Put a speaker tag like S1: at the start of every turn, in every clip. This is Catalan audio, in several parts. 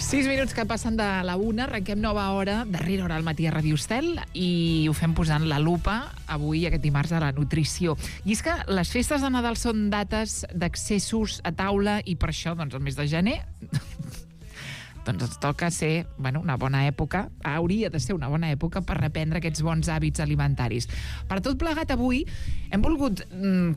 S1: 6 minuts que passen de la 1, arrenquem nova hora, darrera hora al matí a Radio Estel, i ho fem posant la lupa avui, aquest dimarts, a la nutrició. I és que les festes de Nadal són dates d'accessos a taula, i per això, doncs, el mes de gener doncs ens toca ser, una bona època, hauria de ser una bona època per reprendre aquests bons hàbits alimentaris. Per tot plegat, avui hem volgut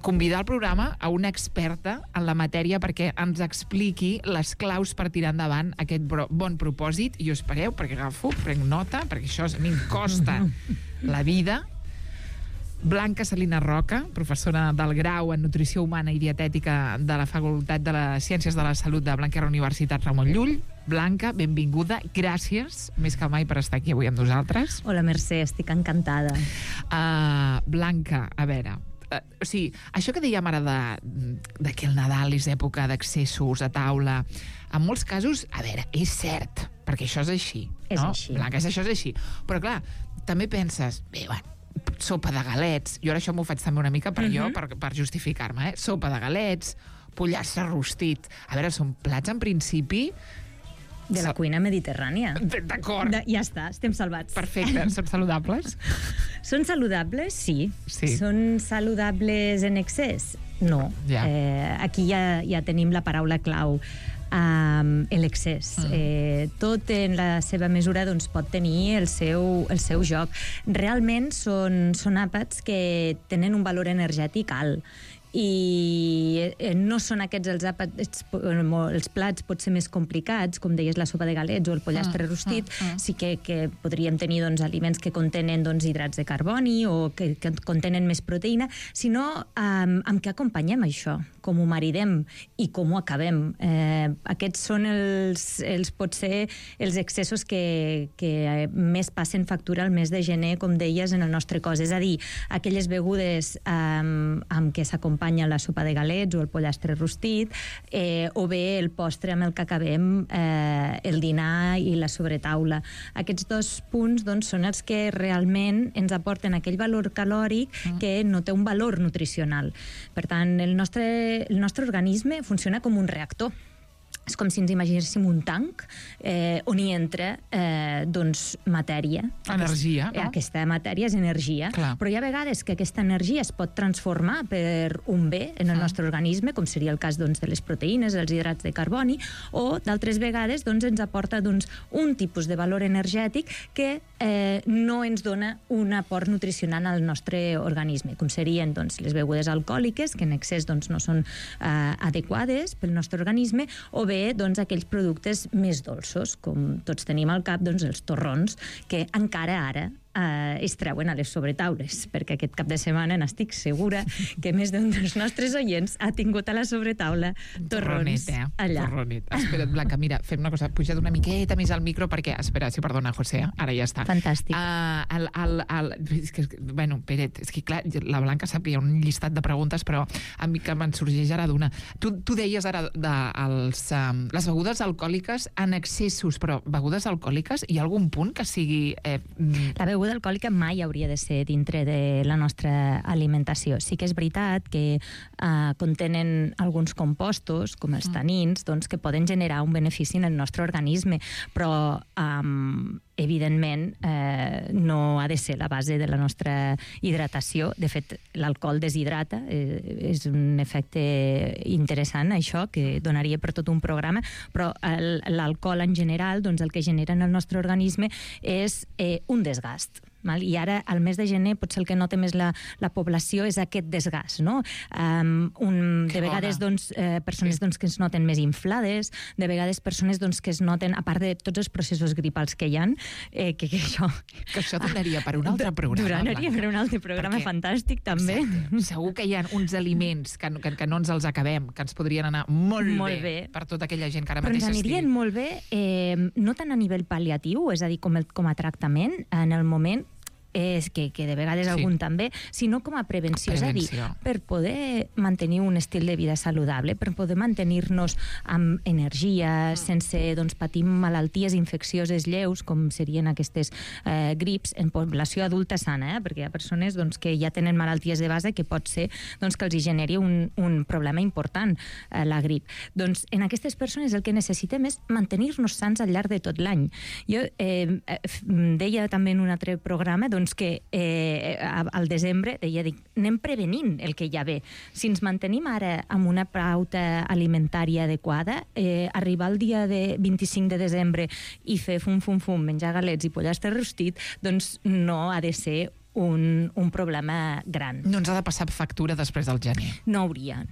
S1: convidar al programa a una experta en la matèria perquè ens expliqui les claus per tirar endavant aquest bon propòsit, i us espereu, perquè prenc nota, perquè això a mi em costa la vida. Blanca Salina Roca, professora del grau en Nutrició Humana i Dietètica de la Facultat de les Ciències de la Salut de Blanquerna Universitat Ramon Llull. Blanca, benvinguda, gràcies més que mai per estar aquí avui amb nosaltres.
S2: Hola, Mercè, estic encantada.
S1: Blanca, a veure, això que dèiem ara de que el Nadal és època d'accessos a taula, en molts casos, a veure, és cert, perquè això és així, no?
S2: És així.
S1: Blanca, això és així. Però clar, també penses, sopa de galets, jo ara això m'ho faig també una mica per justificar-me, sopa de galets, pollastre rostit, a veure, són plats en principi
S2: de la cuina mediterrània.
S1: D'acord.
S2: Ja està, estem salvats.
S1: Perfecte, són saludables?
S2: Són saludables, sí. Són saludables en excés? No.
S1: Ja.
S2: Aquí ja tenim la paraula clau, l'excés. Tot en la seva mesura doncs, pot tenir el seu joc. Realment són àpats que tenen un valor energètic alt, i no són aquests els àpats, els plats pot ser més complicats, com deies la sopa de galets o el pollastre rostit. Sí que podríem tenir doncs, aliments que contenen doncs, hidrats de carboni o que contenen més proteïna, sinó amb què acompanyem això, com ho maridem i com ho acabem. Aquests són potser els excessos que més passen factura al mes de gener, com deies, en el nostre cos. És a dir, aquelles begudes amb què s'acompanyen la sopa de galets o el pollastre rostit, o bé el postre amb el que acabem el dinar i la sobretaula. Aquests dos punts doncs, són els que realment ens aporten aquell valor calòric que no té un valor nutricional. Per tant, el nostre organisme funciona com un reactor. És com si ens imaginéssim un tanc on hi entra matèria.
S1: Energia, no?
S2: Aquesta matèria és energia.
S1: Clar.
S2: Però hi ha vegades que aquesta energia es pot transformar per un bé en el nostre organisme, com seria el cas de les proteïnes, els hidrats de carboni, o d'altres vegades ens aporta un tipus de valor energètic que no ens dona un aport nutricional al nostre organisme, com serien les begudes alcohòliques, que en excés no són adequades pel nostre organisme, o bé aquells productes més dolços, com tots tenim al cap, els torrons, que encara ara es treuen a les sobretaules, perquè aquest cap de setmana n'estic segura que més d'un dels nostres oients ha tingut a la sobretaula torrons allà.
S1: Torronet. Espera't, Blanca, mira, fem una cosa, puja't una miqueta més al micro perquè, espera, sí, perdona, José, ara ja està.
S2: Fantàstic.
S1: Peret, és que clar, la Blanca sap que hi ha un llistat de preguntes, però a mi que me'n sorgeix ara d'una. Tu deies ara les begudes alcohòliques en excessos, però begudes alcohòliques, hi ha algun punt que sigui...
S2: La beguda alcohòlica mai hauria de ser dintre de la nostra alimentació. Sí que és veritat que contenen alguns compostos, com els tanins, que poden generar un benefici en el nostre organisme, però evidentment no ha de ser la base de la nostra hidratació. De fet, l'alcohol deshidrata, és un efecte interessant, això, que donaria per tot un programa, però l'alcohol en general, el que genera en el nostre organisme és un desgast. I ara, al mes de gener, potser el que nota més la població és aquest desgast, no? De vegades, persones que es noten més inflades, de vegades persones que es noten, a part de tots els processos gripals que hi ha, que
S1: això donaria per un altre programa.
S2: Donaria per un altre programa fantàstic, també.
S1: Exacte. Segur que hi ha uns aliments que no ens els acabem, que ens podrien anar molt bé per tota aquella gent que ara mateix
S2: estigui. Però ens anirien molt bé, no tant a nivell pal·liatiu, és a dir, com a tractament, en el moment que de vegades algun també, sinó com a prevenció. És a dir, per poder mantenir un estil de vida saludable, per poder mantenir-nos amb energia, sense patir malalties infeccioses lleus, com serien aquestes grips, en població adulta sana, perquè hi ha persones que ja tenen malalties de base que pot ser que els generi un problema important, la grip. Doncs en aquestes persones el que necessitem és mantenir-nos sants al llarg de tot l'any. Jo deia també en un altre programa que al desembre anem prevenint el que ja ve. Si ens mantenim ara amb una pauta alimentària adequada, arribar al dia de 25 de desembre i fer fum, menjar galets i pollastre rostit, doncs no ha de ser un problema gran.
S1: No ens ha de passar factura després del gener.
S2: No hauria.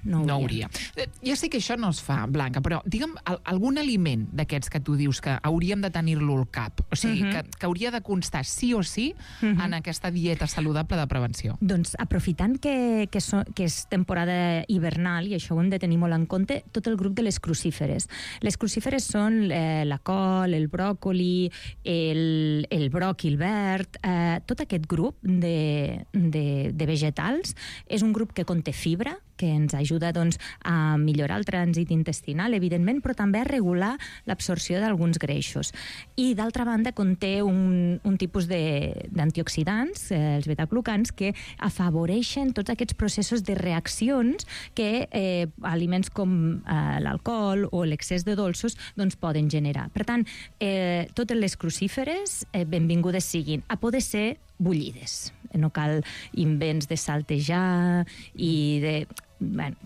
S1: Ja sé que això no es fa, Blanca, però digue'm algun aliment d'aquests que tu dius que hauríem de tenir-lo al cap, o sigui, que hauria de constar sí o sí en aquesta dieta saludable de prevenció.
S2: Doncs aprofitant que és temporada hivernal, i això ho hem de tenir molt en compte, tot el grup de les crucíferes. Les crucíferes són la col, el bròcoli, el bròquil verd, tot aquest grup de vegetals. És un grup que conté fibra, que ens ajuda a millorar el trànsit intestinal, evidentment, però també a regular l'absorció d'alguns greixos. I, d'altra banda, conté un tipus d'antioxidants, els betaglucans, que afavoreixen tots aquests processos de reaccions que aliments com l'alcohol o l'excés de dolços poden generar. Per tant, totes les crucíferes benvingudes siguin, a poder ser bullides. No cal invents de saltejar i de... Bueno,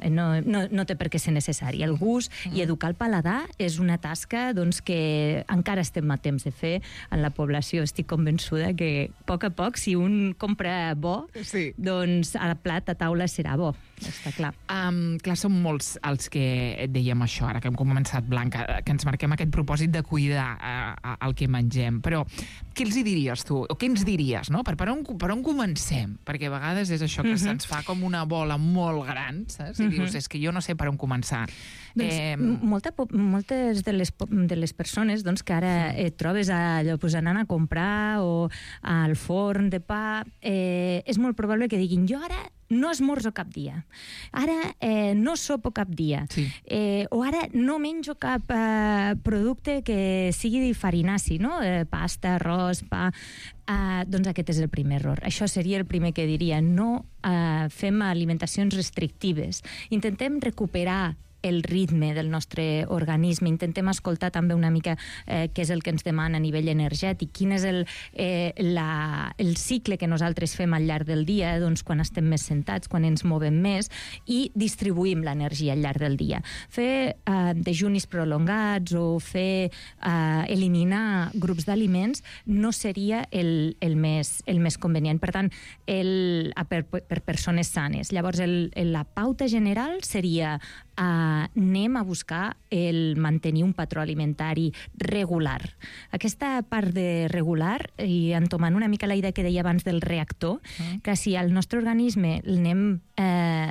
S2: no té per què ser necessari. El gust i educar el paladar és una tasca que encara estem a temps de fer en la població. Estic convençuda que a poc, si un compra bo, doncs el plat a taula serà bo, està clar.
S1: Clar, som molts els que dèiem això, ara que hem començat, Blanca, que ens marquem aquest propòsit de cuidar el que mengem, però què els hi diries tu? O què ens diries, no? Per on comencem? Perquè a vegades és això que se'ns fa com una bola molt gran, saps? I dius, és que jo no sé per on començar.
S2: Moltes de les persones que ara et trobes allò anant a comprar o al forn de pa, és molt probable que diguin, jo ara no esmorzo cap dia, ara no sopo cap dia, o ara no menjo cap producte que sigui farinaci, no? Pasta, arròs, pa... Doncs aquest és el primer error. Això seria el primer que diria. No fem alimentacions restrictives. Intentem recuperar el ritme del nostre organisme, intentem escoltar també una mica què és el que ens demana a nivell energètic, quin és el cicle que nosaltres fem al llarg del dia, quan estem més sentats, quan ens movem més, i distribuïm l'energia al llarg del dia. Fer dejunis prolongats o eliminar grups d'aliments no seria el més convenient. Per tant, per persones sanes. Llavors, la pauta general seria anem a buscar el mantenir un patró alimentari regular. Aquesta part de regular, i entomant una mica la idea que deia abans del reactor, que si al nostre organisme l'anem,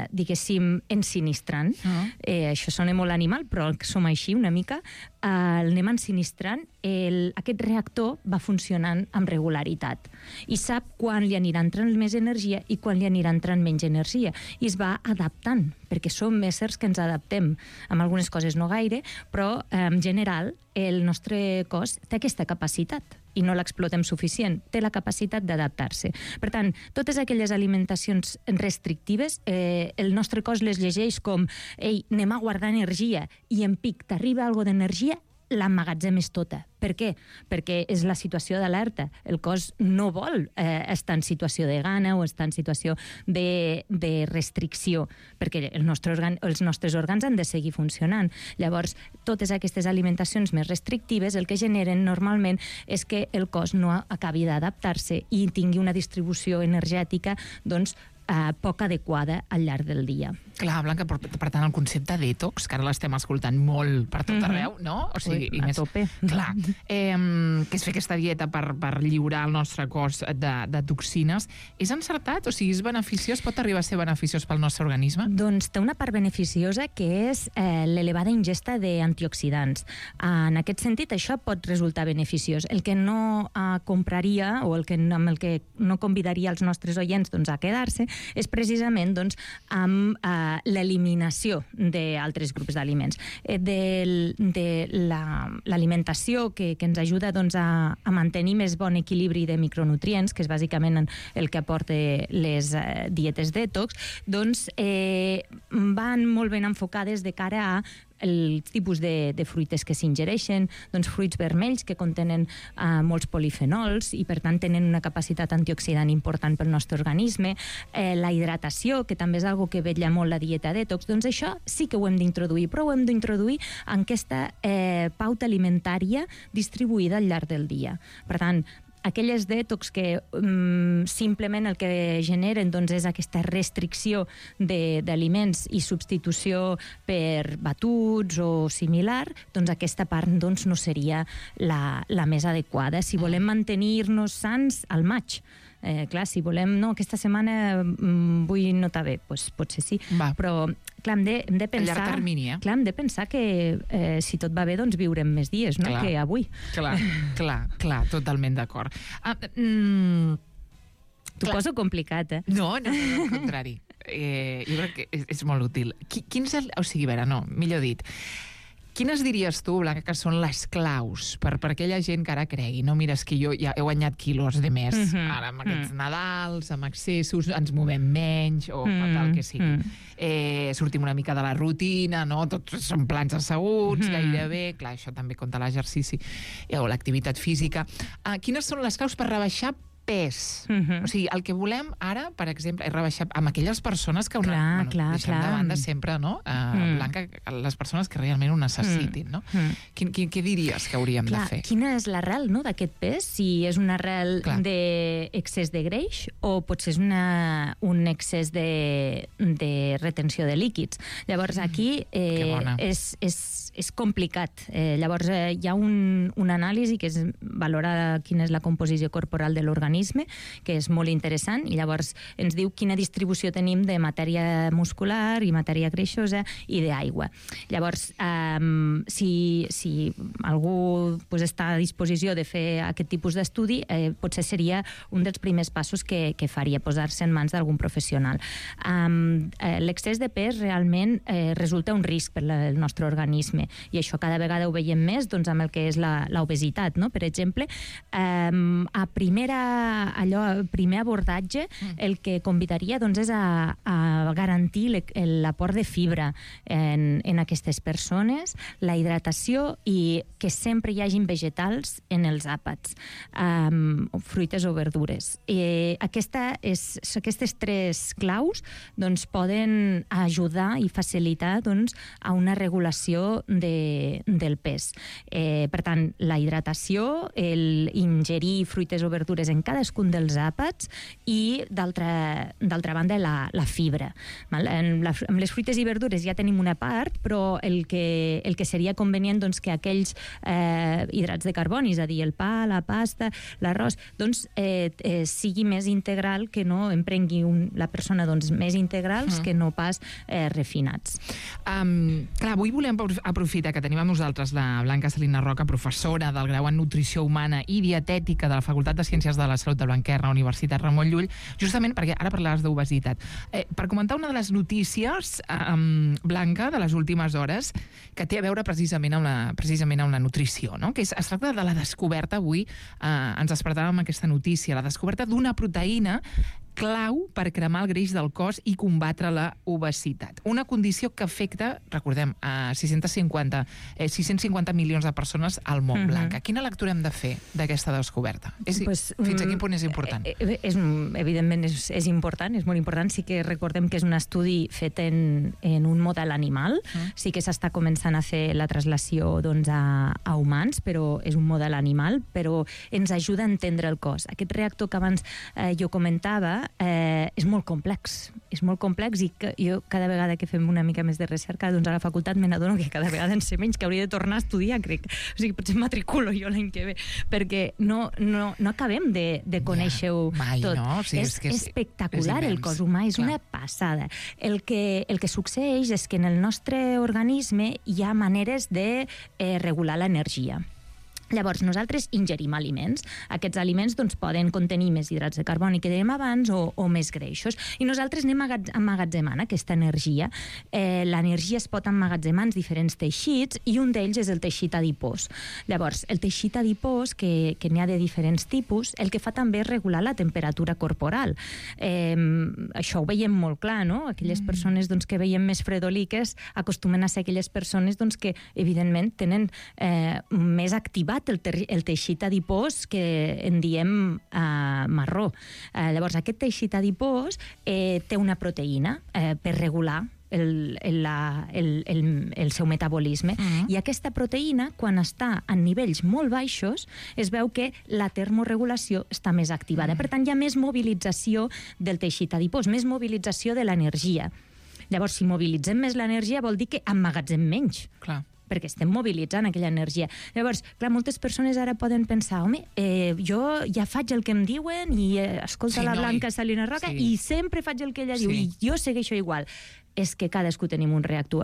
S2: diguéssim, ensinistrant, això sona molt animal, però som així una mica, l'anem ensinistrant, aquest reactor va funcionant amb regularitat i sap quan li anirà entrant més energia i quan li anirà entrant menys energia, i es va adaptant, perquè som éssers que ens adaptem. Amb algunes coses no gaire, però en general el nostre cos té aquesta capacitat i no l'explotem suficient, té la capacitat d'adaptar-se. Per tant, totes aquelles alimentacions restrictives, el nostre cos les llegeix com ei, anem a guardar energia, i en pic t'arriba algo d'energia, l'emmagatzemes tota. Per què? Perquè és la situació d'alerta. El cos no vol estar en situació de gana o estar en situació de restricció, perquè els nostres òrgans han de seguir funcionant. Llavors, totes aquestes alimentacions més restrictives el que generen normalment és que el cos no acabi d'adaptar-se i tingui una distribució energètica poc adequada al llarg del dia.
S1: Clar, Blanca, per tant, el concepte detox, que ara l'estem escoltant molt per tot arreu, no? O sigui,
S2: a tope.
S1: Clar, que és fer aquesta dieta per lliurar el nostre cos de toxines, és encertat? O sigui, és beneficiós? Pot arribar a ser beneficiós pel nostre organisme?
S2: Doncs té una part beneficiosa que és l'elevada ingesta d'antioxidants. En aquest sentit, això pot resultar beneficiós. El que no compraria o amb el que no convidaria els nostres oients a quedar-se és precisament amb l'eliminació d'altres grups d'aliments. De l'alimentació que ens ajuda a mantenir més bon equilibri de micronutrients, que és bàsicament el que aporta les dietes detox, van molt ben enfocades de cara a el tipus de fruites que s'ingereixen, fruits vermells que contenen molts polifenols i per tant tenen una capacitat antioxidant important pel nostre organisme, la hidratació, que també és algo que vetlla molt la dieta detox, això sí que ho hem d'introduir, però ho hem d'introduir en aquesta pauta alimentària distribuïda al llarg del dia. Per tant, aquelles detox que simplement el que generen és aquesta restricció d'aliments i substitució per batuts o similar, aquesta part no seria la més adequada. Si volem mantenir-nos sans al maig, clar, si volem, no, aquesta setmana vull no estar bé, potser sí, però clar, hem de pensar...
S1: A llarg termini,
S2: Clar, hem de pensar que si tot va bé, viurem més dies, no?, que avui.
S1: Clar, totalment d'acord.
S2: T'ho poso complicat,
S1: No, al contrari. Jo crec que és molt útil. O sigui, a veure, millor dit, quines diries tu, Blanca, que són les claus per aquella gent que ara cregui? No, mira, és que jo ja he guanyat quilos de més. Ara, amb aquests Nadals, amb excessos, ens movem menys, o tal que sigui. Sortim una mica de la rutina, no? Tots són plans asseguts, gairebé. Clar, això també compta l'exercici o l'activitat física. Quines són les claus per rebaixar pes? O sigui, el que volem ara, per exemple, és rebaixar amb aquelles persones que deixem de banda sempre, no? Blanca, les persones que realment ho necessitin, no? Què diries que hauríem de fer?
S2: Quina és l'arrel d'aquest pes? Si és una arrel d'excés de greix o potser és un excés de retenció de líquids. Llavors, aquí és complicat. Llavors, hi ha una anàlisi que és valorar quina és la composició corporal de l'organisme, que és molt interessant, i llavors ens diu quina distribució tenim de matèria muscular i matèria greixosa i d'aigua. Llavors, si algú està a disposició de fer aquest tipus d'estudi, potser seria un dels primers passos que faria, posar-se en mans d'algun professional. L'excés de pes realment resulta un risc per al nostre organisme, i això cada vegada ho veiem més amb el que és l'obesitat, no? Per exemple, a primer abordatge, el que convidaria és a garantir l'aport de fibra en aquestes persones, la hidratació i que sempre hi hagin vegetals en els àpats, fruites o verdures. Aquestes tres claus poden ajudar i facilitar a una regulació del pes. Per tant, la hidratació, ingerir fruites o verdures en cadascun dels àpats i, d'altra banda, la fibra. Amb les fruites i verdures ja tenim una part, però el que seria convenient que aquells hidrats de carboni, és a dir, el pa, la pasta, l'arròs, sigui més integral, que no en prengui la persona més integrals que no pas refinats.
S1: Clar, avui volem aprofitar que tenim amb nosaltres la Blanca Salina Roca, professora del grau en Nutrició Humana i Dietètica de la Facultat de Ciències de la Salut de Blanquerna, Universitat Ramon Llull, justament perquè ara parlaves d'obesitat. Per comentar una de les notícies, Blanca, de les últimes hores, que té a veure precisament amb la nutrició, no? Que es tracta de la descoberta, avui ens despertàvem amb aquesta notícia, la descoberta d'una proteïna clau per cremar el greix del cos i combatre la obesitat. Una condició que afecta, recordem, a 650 milions de persones al món, Blanca. Quina lectura hem de fer d'aquesta descoberta? Fins a quin punt és important?
S2: Evidentment és important, és molt important. Sí que recordem que és un estudi fet en un model animal. Sí que s'està començant a fer la translació a humans, però és un model animal, però ens ajuda a entendre el cos. Aquest reactor que abans jo comentava, és molt complex. És molt complex i que jo cada vegada que fem una mica més de recerca doncs a la facultat me n'adono que cada vegada en sé menys, que hauria de tornar a estudiar, crec. O sigui, potser matriculo jo l'any que ve, perquè no acabem de conèixer-ho tot.
S1: No? O sigui,
S2: és espectacular el cos humà, és una passada. El que succeeix és que en el nostre organisme hi ha maneres de regular l'energia. Llavors, nosaltres ingerim aliments. Aquests aliments doncs, poden contenir més hidrats de carboni que dèiem abans o més greixos. I nosaltres anem emmagatzemant aquesta energia. L'energia es pot emmagatzemar en diferents teixits i un d'ells és el teixit adipós. Llavors, el teixit adipós, que n'hi ha de diferents tipus, el que fa també és regular la temperatura corporal. Això ho veiem molt clar, no? Aquelles persones doncs, que veiem més fredoliques acostumen a ser aquelles persones doncs, que, evidentment, tenen més activat el teixit adipós que en diem marró. Llavors, aquest teixit adipós té una proteïna per regular el seu metabolisme. I aquesta proteïna, quan està en nivells molt baixos, es veu que la termorregulació està més activada. Per tant, hi ha més mobilització del teixit adipós, més mobilització de l'energia. Llavors, si mobilitzem més l'energia, vol dir que emmagatzem menys.
S1: Clar.
S2: Perquè estem mobilitzant aquella energia. Llavors, clar, moltes persones ara poden pensar, home, jo ja faig el que em diuen i escolta la Blanca Salina Roca i sempre faig el que ella diu i jo segueixo igual. És que cadascú tenim un reactor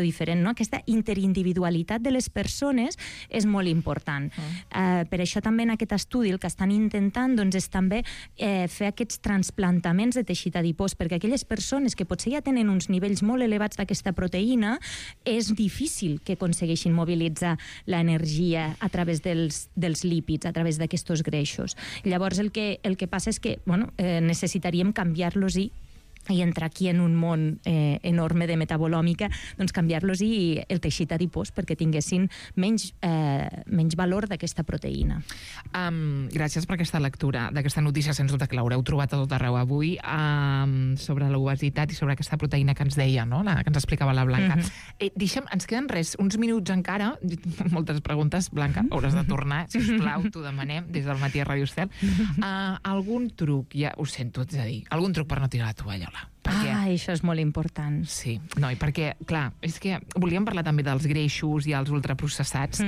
S2: diferent, no? Aquesta interindividualitat de les persones és molt important. Per això també en aquest estudi el que estan intentant doncs, és també fer aquests transplantaments de teixit adipós, perquè aquelles persones que potser ja tenen uns nivells molt elevats d'aquesta proteïna, és difícil que aconsegueixin mobilitzar l'energia a través dels lípids, a través d'aquests greixos. Llavors el que passa és que necessitaríem canviar-los i entrar aquí en un món enorme de metabolòmica, doncs canviar-los i el teixit adipós perquè tinguessin menys valor d'aquesta proteïna.
S1: Gràcies per aquesta lectura d'aquesta notícia, sens dubte que l'haureu trobat a tot arreu avui, sobre l'obesitat i sobre aquesta proteïna que ens deia, no? Que ens explicava la Blanca. Deixa'm, ens queden uns minuts encara, moltes preguntes, Blanca, hauràs de tornar, sisplau, t'ho demanem, des del matí a Radio Estel. Algun truc, ja ho sento, és a dir, algun truc per no tirar la tovallola?
S2: Això és molt important.
S1: Sí, no, i perquè, clar, és que volíem parlar també dels greixos i els ultraprocessats,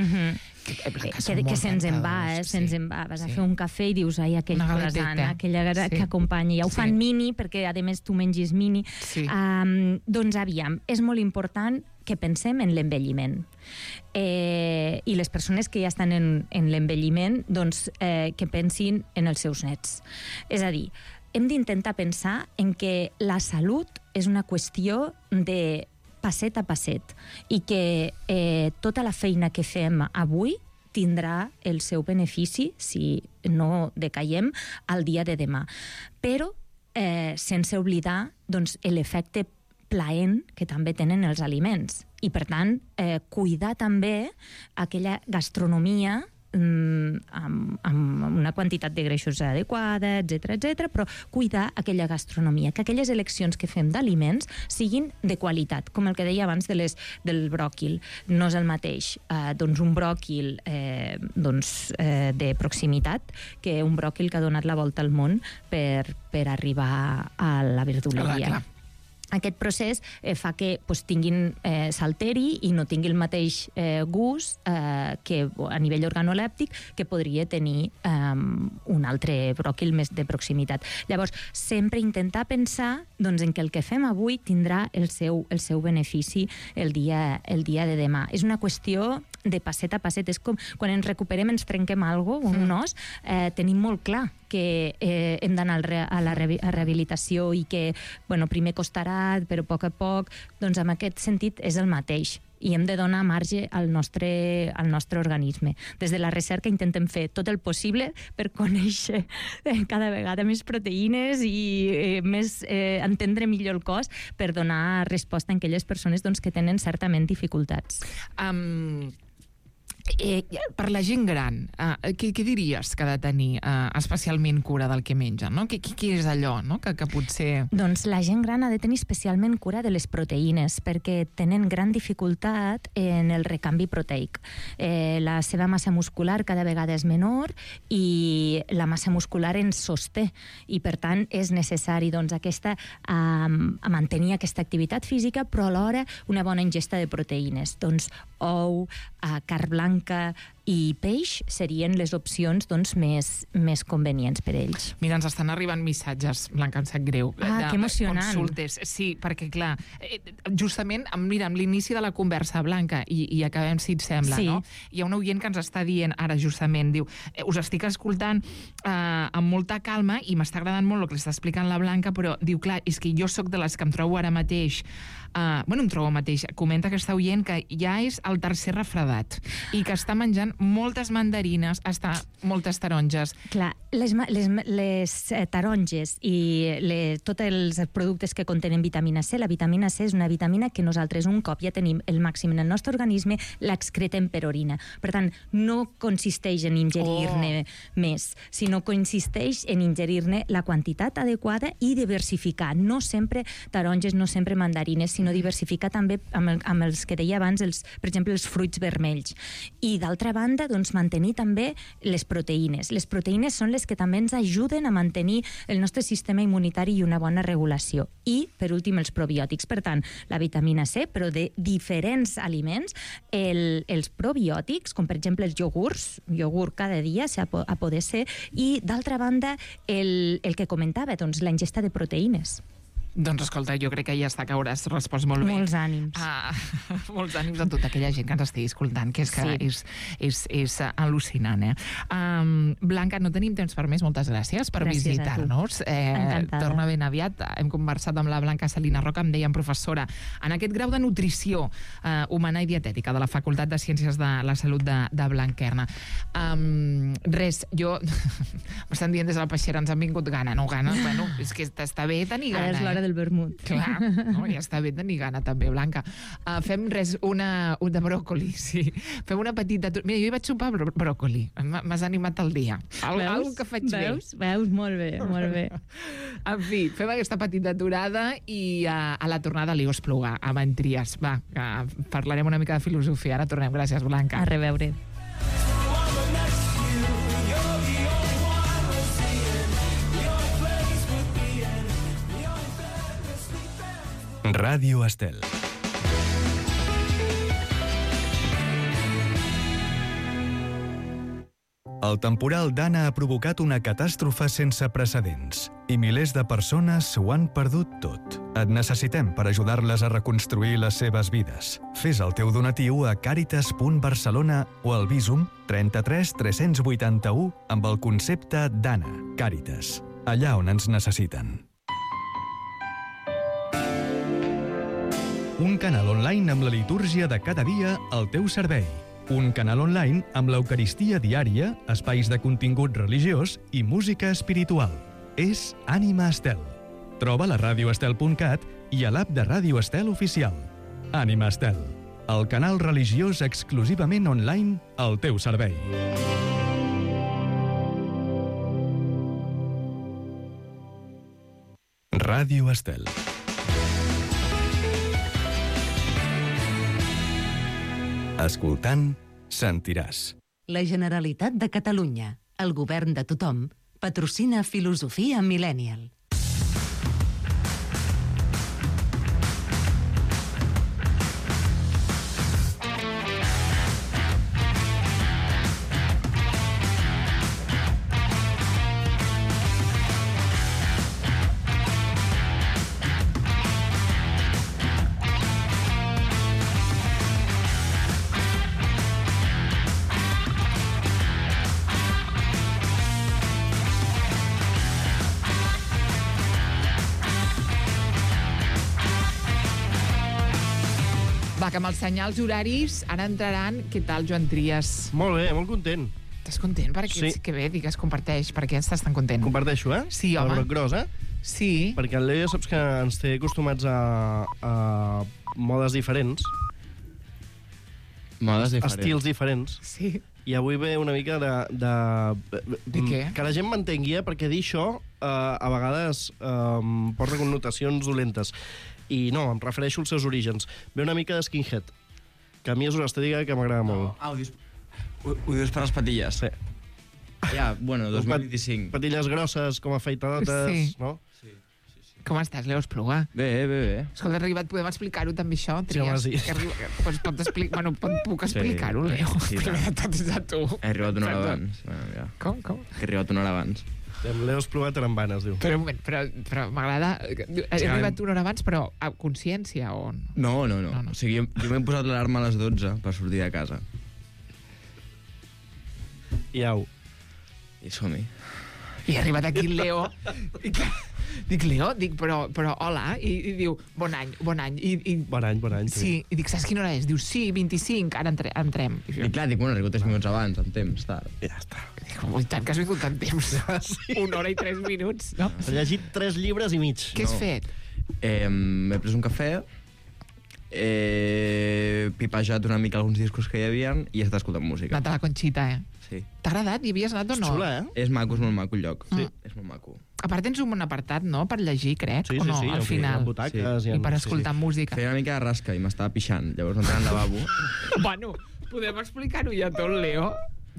S2: que se'ns en va, vas a fer un cafè i dius, ai, aquell croissant, aquella que acompanya, ja ho fan mini, perquè a més tu mengis mini. Doncs aviam, és molt important que pensem en l'envelliment. I les persones que ja estan en l'envelliment, doncs que pensin en els seus nets. És a dir, hem d'intentar pensar en que la salut és una qüestió de passet a passet i que tota la feina que fem avui tindrà el seu benefici, si no decaiem, al dia de demà. Però sense oblidar doncs, l'efecte plaent que també tenen els aliments. I, per tant, cuidar també aquella gastronomia amb una quantitat de greixos adequada, etc., però cuidar aquella gastronomia, que aquelles eleccions que fem d'aliments siguin de qualitat, com el que deia abans del bròquil. No és el mateix un bròquil de proximitat que un bròquil que ha donat la volta al món per arribar a la verduleria. Aquest procés fa que tinguin s'alteri i no tingui el mateix gust que a nivell organolèptic que podria tenir un altre bròquil més de proximitat. Llavors, sempre intentar pensar en que el que fem avui tindrà el seu benefici el dia de demà. És una qüestió de passet a passet. És com quan ens recuperem, ens trenquem alguna cosa, un os, tenim molt clar que hem d'anar a la rehabilitació i que primer costarà, però a poc, doncs en aquest sentit és el mateix. I hem de donar marge al nostre organisme. Des de la recerca intentem fer tot el possible per conèixer cada vegada més proteïnes i entendre millor el cos per donar resposta a aquelles persones que tenen certament dificultats.
S1: Per la gent gran, què diries que ha de tenir especialment cura del que menja? No? Què és allò, no? que potser...
S2: Doncs la gent gran ha de tenir especialment cura de les proteïnes, perquè tenen gran dificultat en el recanvi proteic. La seva massa muscular cada vegada és menor i la massa muscular ens sosté, i per tant és necessari mantenir aquesta activitat física, però alhora una bona ingesta de proteïnes. Doncs ou, carn blanca i peix serien les opcions més convenients per ells.
S1: Mira, ens estan arribant missatges, Blanca, em sap greu.
S2: Que emocionant.
S1: Consultes. Sí, perquè, clar, justament, mira, amb l'inici de la conversa, Blanca, i acabem, si et sembla,
S2: sí.
S1: no? Hi ha un oient que ens està dient ara, justament, diu, us estic escoltant amb molta calma i m'està agradant molt el que està explicant la Blanca, però diu, clar, és que jo sóc de les que em trobo ara mateix comenta aquesta oient que ja és el tercer refredat i que està menjant moltes mandarines, moltes taronges.
S2: Clar, les taronges i tots els productes que contenen vitamina C, la vitamina C és una vitamina que nosaltres un cop ja tenim el màxim en el nostre organisme, l'excretem per orina. Per tant, no consisteix en ingerir-ne més, sinó que consisteix en ingerir-ne la quantitat adequada i diversificar. No sempre taronges, no sempre mandarines, sinó diversificar també amb els que deia abans, per exemple, els fruits vermells. I d'altra banda, doncs, mantenir també les proteïnes. Les proteïnes són les que també ens ajuden a mantenir el nostre sistema immunitari i una bona regulació. I, per últim, els probiòtics. Per tant, la vitamina C, però de diferents aliments, els probiòtics, com per exemple els iogurt cada dia, a poder ser, i d'altra banda, el que comentava, doncs, la ingesta de proteïnes.
S1: Doncs escolta, jo crec que ja està, que hauràs respost molt bé.
S2: Molts ànims.
S1: Molts ànims a tota aquella gent que ens estigui escoltant, que és que és al·lucinant, Blanca, no tenim temps per més, moltes gràcies per visitar-nos.
S2: Encantada.
S1: Torna ben aviat. Hem conversat amb la Blanca Salina Roca, em deien professora, en aquest grau de nutrició humana i dietètica de la Facultat de Ciències de la Salut de Blanquerna. Res, m'estan dient des de la peixera, ens han vingut gana, no gana? Bueno, és que està bé tenir gana,
S2: Ara és l'hora del vermut.
S1: Clar, no? Ja està bé tenir gana també, Blanca. Fem una de bròcoli, sí. Fem una petita... Mira, jo hi vaig sopar bròcoli. M'has animat el dia. Algo que faig bé.
S2: Veus? Molt bé, molt bé.
S1: En fi, fem aquesta petita aturada i a la tornada li us pluga a Mentries. Va, parlarem una mica de filosofia. Ara tornem. Gràcies, Blanca.
S2: A reveure.
S3: Ràdio Estel. El temporal Dana ha provocat una catàstrofe sense precedents i milers de persones ho han perdut tot. Et necessitem per ajudar-les a reconstruir les seves vides. Fes el teu donatiu a caritas.barcelona o al Bizum 33 381 amb el concepte Dana. Càritas, allà on ens necessiten. Un canal online amb la litúrgia de cada dia al teu servei. Un canal online amb l'Eucaristia diària, espais de contingut religiós i música espiritual. És Ànima Estel. Troba la radioestel.cat i a l'app de Ràdio Estel oficial. Ànima Estel, el canal religiós exclusivament online al teu servei. Ràdio Estel. Escoltant, sentiràs.
S4: La Generalitat de Catalunya, el govern de tothom, patrocina Filosofia Millennial.
S1: Va, que amb els senyals horaris ara entraran... Què tal, Joan Trias?
S5: Molt bé, molt content.
S1: Estàs content? Perquè que bé, digues, comparteix. Per què estàs tan content?
S5: Comparteixo,
S1: Sí, home.
S5: El broc gros,
S1: Sí.
S5: Perquè el Leo ja saps que ens té acostumats a modes diferents.
S6: Modes diferents.
S5: estils diferents.
S1: Sí.
S5: I avui ve una mica de
S1: què?
S5: que la gent m'entengui, perquè dir això a vegades porta connotacions dolentes. I no, em refereixo als seus orígens. Ve una mica de skinhead, que a mi és una estètica que m'agrada molt.
S6: Ah, ho dius per les patilles?
S5: Sí.
S6: Ja, bueno, 2025.
S5: Patilles grosses, com afeitadotes,
S1: Sí.
S5: no?
S1: Com estàs, Leo Espluga?
S6: Bé.
S1: Escolta, Arribat, podem explicar-ho també, això?
S5: Sí, home, sí.
S1: Puc explicar-ho,
S6: Sí,
S1: Leo?
S6: sí,
S1: Primer de tot és a tu.
S6: He arribat una hora abans. Bueno, ja.
S1: Com?
S6: He arribat una hora abans.
S5: Amb Leo Espluga Tarambanes, diu.
S1: Però un moment, però m'agrada... He arribat una hora abans, però a consciència o no?
S6: No. O sigui, jo m'he posat l'alarma a les 12 per sortir de casa.
S5: I au.
S6: I som-hi.
S1: I ha arribat aquí el Leo. Dic, Leo, però hola. I diu, bon any.
S5: Bon any.
S1: Sí, i dic, saps quina hora és? Diu, sí, 25, ara entrem.
S6: I clar, dic, bueno, arribo 3 minuts abans, amb temps, tard.
S5: Ja està.
S1: Dic, i tant que has vingut tant temps.
S5: Sí.
S1: 1 hora i 3 minuts, no?
S5: Has llegit 3 llibres i mig.
S1: Què has fet?
S6: M'he pres un cafè, he pipejat una mica alguns discos que hi havia i he estat escoltant música.
S1: Anat a la Conxita,
S6: Sí.
S1: T'ha agradat? Hi havies anat o no?
S5: Xula,
S6: És maco, és molt maco el lloc.
S1: Sí.
S6: És molt maco.
S1: A part tens un bon apartat, no?, per llegir, crec,
S5: Sí,
S1: o no,
S5: sí,
S1: al final.
S5: Amb butaques.
S1: I per escoltar música.
S6: Feia una mica de rasca i m'estava pixant, llavors no tenia el lavabo.
S1: Bueno, podem explicar-ho ja tot, Leo?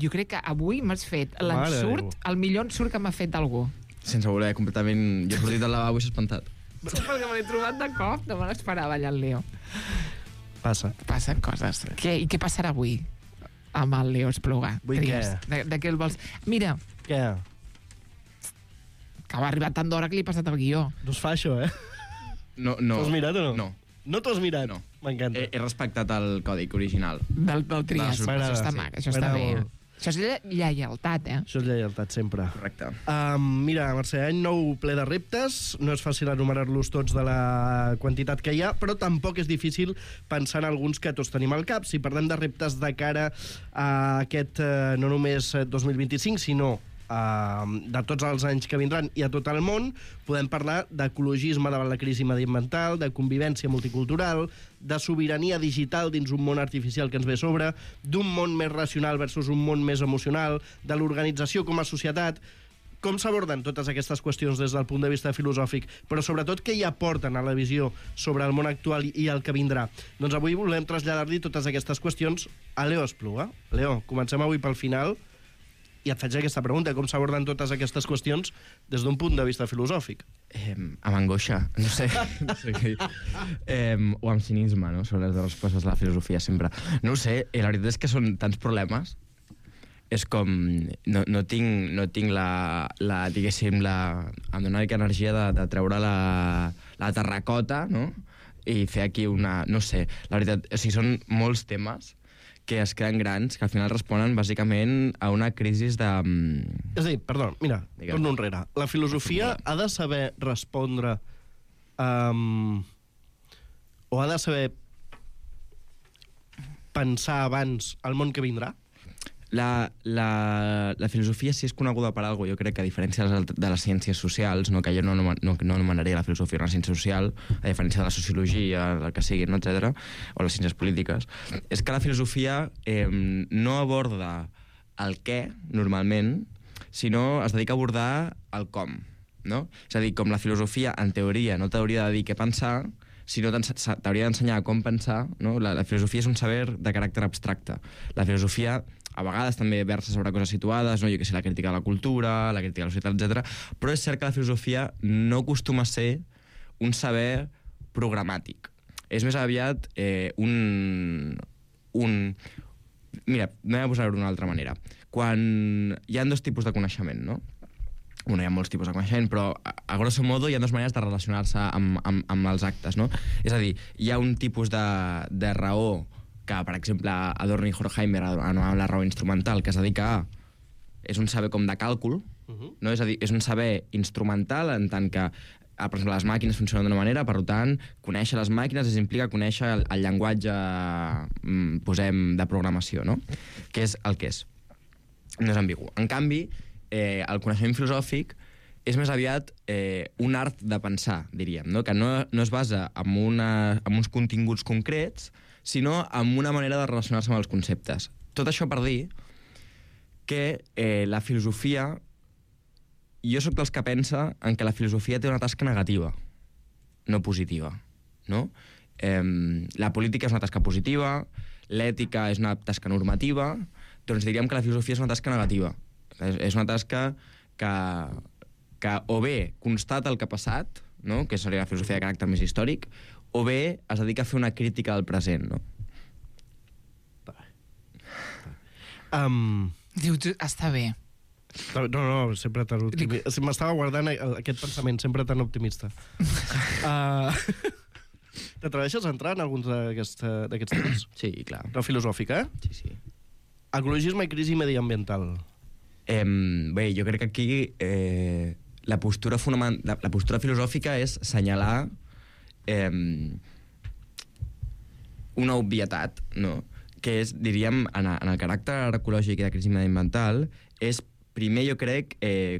S1: Jo crec que avui m'has fet
S5: Mare
S1: l'ensurt,
S5: Déu.
S1: el millor ensurt que m'ha fet algú.
S6: Sense voler, completament... Jo he sortit del lavabo i s'ha espantat.
S1: Perquè me l'he trobat de cop, no me l'esperava allà el Leo.
S5: Passa.
S1: Passen coses. I què passarà avui amb el Leo Espluga?
S5: Avui
S1: Tries. De què el vols? Mira,
S5: Què?
S1: que va arribar tant d'hora que li he passat el guió.
S5: No es fa això, eh?
S6: No.
S5: T'ho has mirat o no?
S6: No.
S5: No t'ho has mirat?
S6: No.
S5: M'encanta.
S6: He respectat el còdic original.
S1: Del Trias.
S5: M'agrada,
S1: Això està
S5: sí.
S1: mac, això està bé.
S5: M'agrada molt.
S1: Això és lleialtat, eh?
S5: Això és lleialtat, sempre.
S6: Correcte.
S5: Mira, Mercè, any nou ple de reptes. No és fàcil enumerar-los tots de la quantitat que hi ha, però tampoc és difícil pensar en alguns que tots tenim al cap. Si parlem de reptes de cara a aquest, no només 2025, sinó de tots els anys que vindran i a tot el món, podem parlar d'ecologisme davant la crisi mediambiental, de convivència multicultural, de sobirania digital dins un món artificial que ens ve a sobre, d'un món més racional versus un món més emocional, de l'organització com a societat. Com s'aborden totes aquestes qüestions des del punt de vista filosòfic, però sobretot què hi aporten a la visió sobre el món actual i el que vindrà? Doncs avui volem traslladar-li totes aquestes qüestions a Leo Espluga. Leo, comencem avui pel final i et faig aquesta pregunta, com s'aborden totes aquestes qüestions des d'un punt de vista filosòfic?
S6: Amb angoixa, no sé què dir. O amb cinisme, no? Són les respostes de la filosofia sempre. No ho sé, la veritat és que són tants problemes. És com... No tinc la diguéssim, em dona mica energia de treure la terracota, no? I fer aquí una... No sé, la veritat, o sigui, són molts temes que es queden grans, que al final responen bàsicament a una crisi de...
S5: És a dir, perdó, mira,
S6: Digue'm.
S5: torno enrere. La filosofia ha de saber respondre o ha de saber pensar abans el món que vindrà?
S6: La filosofia sí és coneguda per alguna cosa, jo crec que a diferència de les ciències socials, no, que jo no anomenaria la filosofia una ciència social, a diferència de la sociologia, el que sigui, no, etc., o les ciències polítiques, és que la filosofia no aborda el què, normalment, sinó es dedica a abordar el com, no? És a dir, com la filosofia, en teoria, no t'hauria de dir què pensar, sinó t'hauria d'ensenyar com pensar, no? La filosofia és un saber de caràcter abstracte. La filosofia a vegades també versa sobre coses situades, no? Jo que sé, la crítica de la cultura, la crítica de la societat, etc. Però és cert que la filosofia no acostuma a ser un saber programàtic. És més aviat Mira, anem a posar-ho d'una altra manera. Quan hi ha dos tipus de coneixement, no? Bueno, hi ha molts tipus de coneixement, però a grosso modo hi ha dues maneres de relacionar-se amb els actes, no? És a dir, hi ha un tipus de raó que, per exemple, Adorno i Horkheimer anomenaven la raó instrumental, que es dedica a... És un saber com de càlcul, no? És a dir, és un saber instrumental en tant que, per exemple, les màquines funcionen d'una manera, per tant, conèixer les màquines implica conèixer el llenguatge, posem, de programació, no? Que és el que és. No és ambigu. En canvi, el coneixement filosòfic és més aviat un art de pensar, diríem, no? Que no es basa en uns continguts concrets, sinó amb una manera de relacionar-se amb els conceptes. Tot això per dir que la filosofia... Jo sóc dels que pensa en que la filosofia té una tasca negativa, no positiva, no? La política és una tasca positiva, l'ètica és una tasca normativa, doncs diríem que la filosofia és una tasca negativa. És una tasca que o bé constata el que ha passat, no? Que seria la filosofia de caràcter més històric, o bé es dedica a fer una crítica del present, no?
S1: Diu, està bé.
S5: No, sempre tan optimista. M'estava guardant aquest pensament sempre tan optimista. T'atreveixes a entrar en alguns d'aquests temes?
S6: Sí, clar.
S5: La filosòfica,
S6: Sí, sí.
S5: Ecologisme i crisi mediambiental.
S6: Bé, jo crec que aquí la postura filosòfica és assenyalar una obvietat, no? Que és, diríem, en el caràcter ecològic i de crisi mediambiental, és primer, jo crec,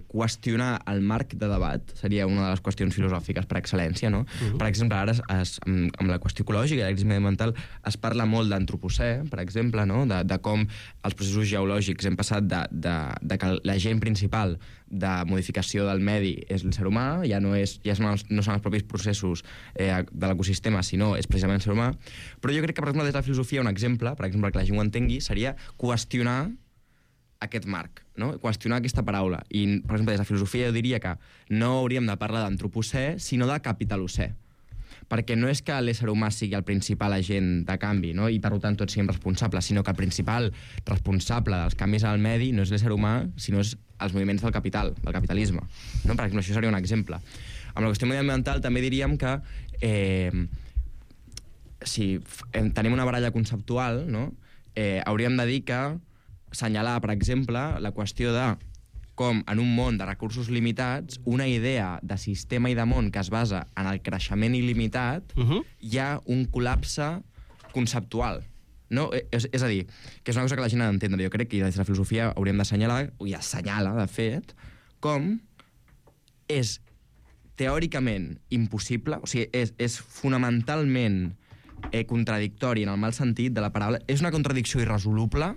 S6: qüestionar el marc de debat, seria una de les qüestions filosòfiques per excel·lència, no? Per exemple, ara amb la qüestió ecològica i la crisi mediambiental es parla molt d'antropocè, per exemple, no? De com els processos geològics hem passat de que l'agent principal de modificació del medi és l'ésser humà, ja no són els propis processos de l'ecosistema, sinó és precisament el ser humà. Però jo crec que, per exemple, des de la filosofia, un exemple, per exemple, que la gent ho entengui, seria qüestionar aquest marc, no? Qüestionar aquesta paraula. I, per exemple, des de la filosofia jo diria que no hauríem de parlar d'antropocè, sinó de capitalocè. Perquè no és que l'ésser humà sigui el principal agent de canvi, no? I per tant tots siguem responsables, sinó que el principal responsable dels canvis al medi no és l'ésser humà, sinó és els moviments del capital, del capitalisme. No? Per exemple, això seria un exemple. Amb la qüestió mediambiental també diríem que si tenim una baralla conceptual, no? Hauríem de dir que assenyalar, per exemple, la qüestió de com en un món de recursos limitats, una idea de sistema i de món que es basa en el creixement il·limitat, hi ha un col·lapse conceptual. No? És a dir, que és una cosa que la gent ha d'entendre. Jo crec que des de la filosofia hauríem d'assenyalar, i assenyala, de fet, com és teòricament impossible, o sigui, és fonamentalment contradictori en el mal sentit de la paraula, és una contradicció irresoluble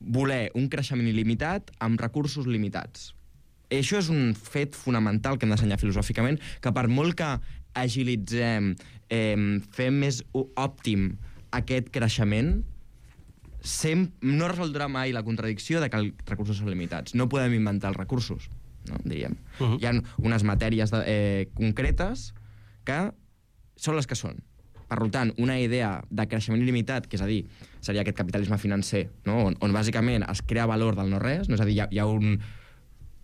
S6: voler un creixement il·limitat amb recursos limitats. Això és un fet fonamental que hem d'assenyar filosòficament, que per molt que agilitzem, fem més òptim aquest creixement, no resoldrà mai la contradicció de que els recursos són limitats. No podem inventar els recursos, no? Diríem. Hi ha unes matèries concretes que són les que són. Per tant, una idea de creixement il·limitat, que és a dir, seria aquest capitalisme financer, no? on bàsicament es crea valor del no-res, no? És a dir, hi ha un...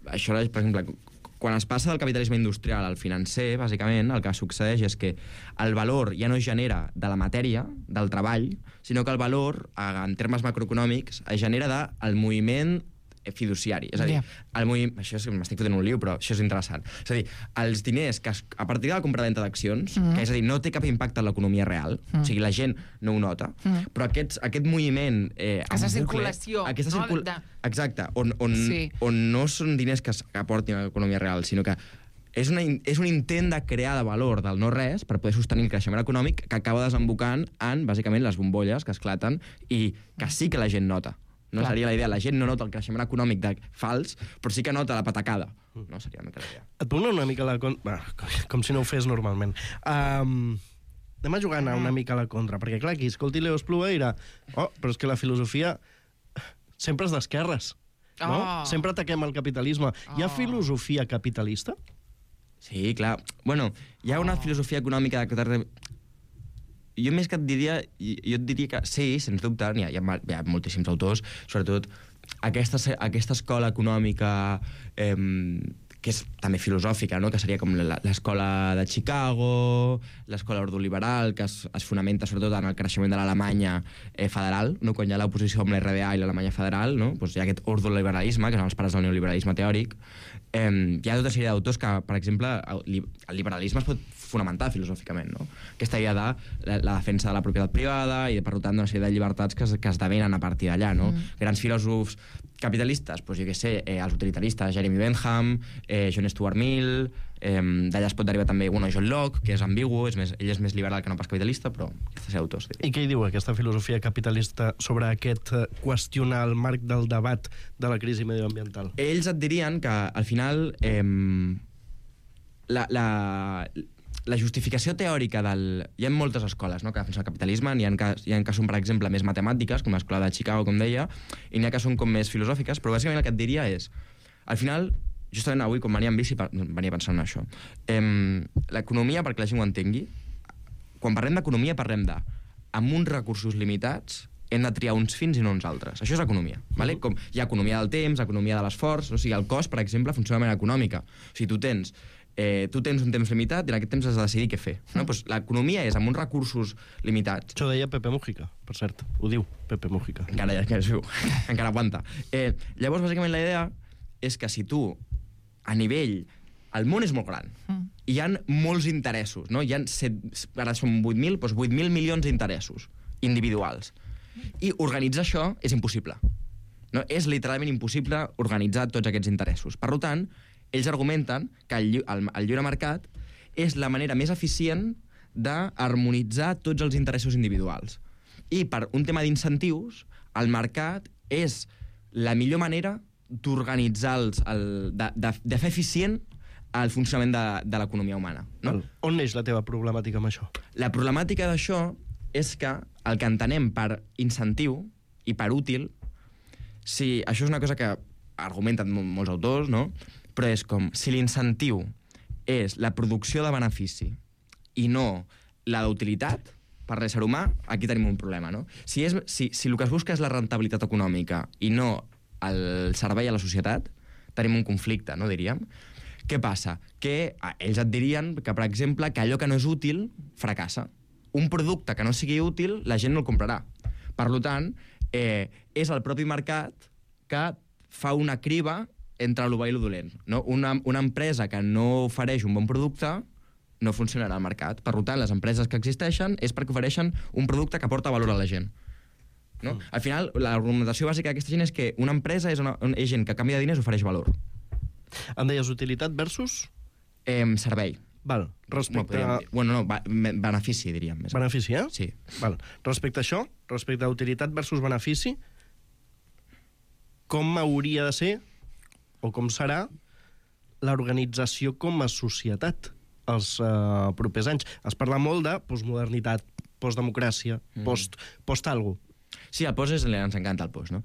S6: Això, per exemple, quan es passa del capitalisme industrial al financer, bàsicament, el que succeeix és que el valor ja no es genera de la matèria, del treball, sinó que el valor, en termes macroeconòmics, es genera del moviment fiduciari. És a dir, això és que m'estic fotent un liu, però això és interessant. És a dir, els diners que a partir de la compra-venta d'accions, que és a dir, no té cap impacte en l'economia real, o sigui, la gent no ho nota, però aquest moviment...
S1: Aquesta circulació.
S6: Exacte, on no són diners que aportin a l'economia real, sinó que és un intent de crear de valor del no-res per poder sostenir el creixement econòmic que acaba desembocant en, bàsicament, les bombolles que esclaten i que sí que la gent nota. No seria la idea, la gent no nota el creixement econòmic fals, però sí que nota la patacada. No seria una mica la idea.
S5: Et puc anar una mica a la contra... Com si no ho fes normalment. Anem a jugar una mica a la contra, perquè clar, qui escolti Leo Espluga dirà però és que la filosofia sempre és d'esquerres, no? Sempre ataquem el capitalisme. Hi ha filosofia capitalista?
S6: Sí, clar. Bueno, hi ha una filosofia econòmica de... Jo més que et diria que sí, sens dubte, hi ha moltíssims autors, sobretot aquesta escola econòmica que és també filosòfica, no? Que seria com l'escola de Chicago, l'escola ordoliberal, que es fonamenta sobretot en el creixement de l'Alemanya federal, no? Quan hi ha l'oposició amb l'RDA i l'Alemanya federal, no? Pues hi ha aquest ordoliberalisme, que són els pares del neoliberalisme teòric. Hi ha tota sèrie d'autors que, per exemple, el liberalisme es pot fonamentar filosòficament, no? Aquesta idea de la defensa de la propietat privada i, per tant, d'una sèrie de llibertats que esdevenen a partir d'allà, no? Grans filòsofs capitalistes, doncs jo què sé, els utilitaristes, Jeremy Bentham, John Stuart Mill, D'allà es pot derivar també John Locke, que és ambigu, ell és més liberal que no pas capitalista, però aquests autors.
S5: I què hi diu aquesta filosofia capitalista sobre aquest qüestionar el marc del debat de la crisi medioambiental?
S6: Ells et dirien que, al final, la justificació teòrica del... Hi ha moltes escoles, no?, que defensen el capitalisme, hi ha que són, per exemple, més matemàtiques, com l'escola de Chicago, com deia, i n'hi ha que són com més filosòfiques, però bàsicament el que et diria és, al final, justament avui, quan venia en bici, venia pensant en això, l'economia, perquè la gent ho entengui, quan parlem d'economia parlem de, amb uns recursos limitats, hem de triar uns fins i no uns altres. Això és economia. Vale? Com hi ha economia del temps, economia de l'esforç, o sigui, el cost, per exemple, funciona de manera econòmica. O sigui, tu tens un temps limitat i en aquest temps has de decidir què fer. No? Pues l'economia és amb uns recursos limitats.
S5: Això deia Pepe Mujica, per cert. Ho diu Pepe Mujica.
S6: Encara aguanta. Llavors, bàsicament, la idea és que si tu, a nivell... El món és molt gran. I hi ha molts interessos. No? Hi ha ara són 8.000, doncs 8.000 milions d'interessos individuals. I organitzar això és impossible. No? És literalment impossible organitzar tots aquests interessos. Per tant, ells argumenten que el lliure mercat és la manera més eficient d'harmonitzar tots els interessos individuals. I per un tema d'incentius, el mercat és la millor manera d'organitzar, de fer eficient el funcionament de l'economia humana. No?
S5: On neix la teva problemàtica amb això?
S6: La problemàtica d'això és que el que entenem per incentiu i per útil, si això és una cosa que argumenten molts autors, no? Però és com si l'incentiu és la producció de benefici i no la d'utilitat per l'ésser humà, aquí tenim un problema. No? Si el que es busca és la rentabilitat econòmica i no el servei a la societat, tenim un conflicte, no, diríem. Què passa? Que ells et dirien que, per exemple, que allò que no és útil fracassa. Un producte que no sigui útil, la gent no el comprarà. Per tant, és el propi mercat que fa una criba entre el bo i el dolent. No? Una empresa que no ofereix un bon producte no funcionarà al mercat. Per tant, les empreses que existeixen és perquè ofereixen un producte que aporta valor a la gent. No? Al final, l'argumentació bàsica d'aquesta gent és que una empresa és gent que a canvi de diners ofereix valor.
S5: Em deies utilitat versus?
S6: Servei.
S5: Val. Respecte a...
S6: benefici, diríem. Més
S5: benefici, eh?
S6: Sí.
S5: Val. Respecte a això, respecte a utilitat versus benefici, com hauria de ser, o com serà, l'organització com a societat els propers anys? Es parla molt de postmodernitat, postdemocràcia, post algo.
S6: Sí, el post ens encanta el post, no?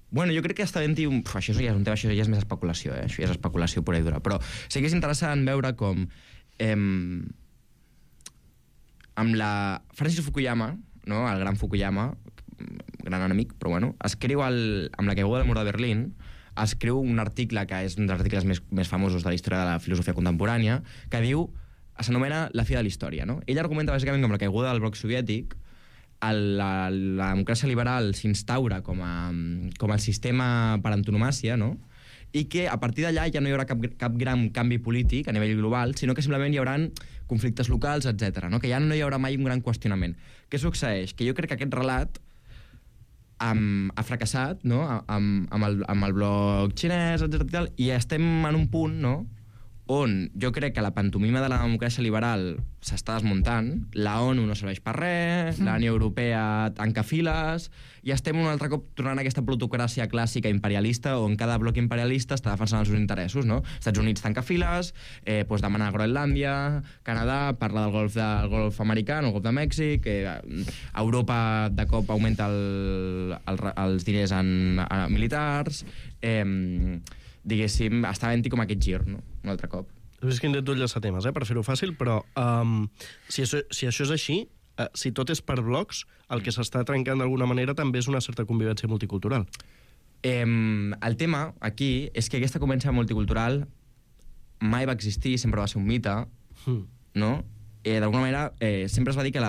S6: Bueno, jo crec que està ben dir... Això ja és un tema, això ja és més especulació, això ja és especulació pura i dura. Però sí que és interessant veure com amb la Francis Fukuyama, no? El gran Fukuyama, gran enemic, però bueno, escriu amb la caiguda del mur de Berlín, escriu un article que és un dels articles més famosos de la història de la filosofia contemporània, que diu, s'anomena La fi de la història, no? Ell argumenta bàsicament que amb la caiguda del bloc soviètic la democràcia liberal s'instaura com el sistema per antonomàsia, no? I que a partir d'allà ja no hi haurà cap gran canvi polític a nivell global, sinó que simplement hi haurà conflictes locals, etc. No? Que ja no hi haurà mai un gran qüestionament. Què succeeix? Que jo crec que aquest relat ha fracassat, no? amb el bloc xinès, etc. I estem en un punt, no? On jo crec que la pantomima de la democràcia liberal s'està desmuntant, la ONU no serveix per res, la Unió Europea tanca files, i estem un altre cop tornant a aquesta plutocràcia clàssica imperialista on cada bloc imperialista està defensant els seus interessos, no? Estats Units tanca files, demana Groenlàndia, Canadà parla del golf americà, el golf de Mèxic, Europa de cop augmenta els diners en militars, diguéssim, està havent-hi com aquest gir, no? Un altre cop.
S5: És que intento enllaçar temes, per fer-ho fàcil, però si això és així, si tot és per blocs, el que s'està trencant d'alguna manera també és una certa convivència multicultural.
S6: El tema aquí és que aquesta convivència multicultural mai va existir, sempre va ser un mite, no? D'alguna manera, sempre es va dir que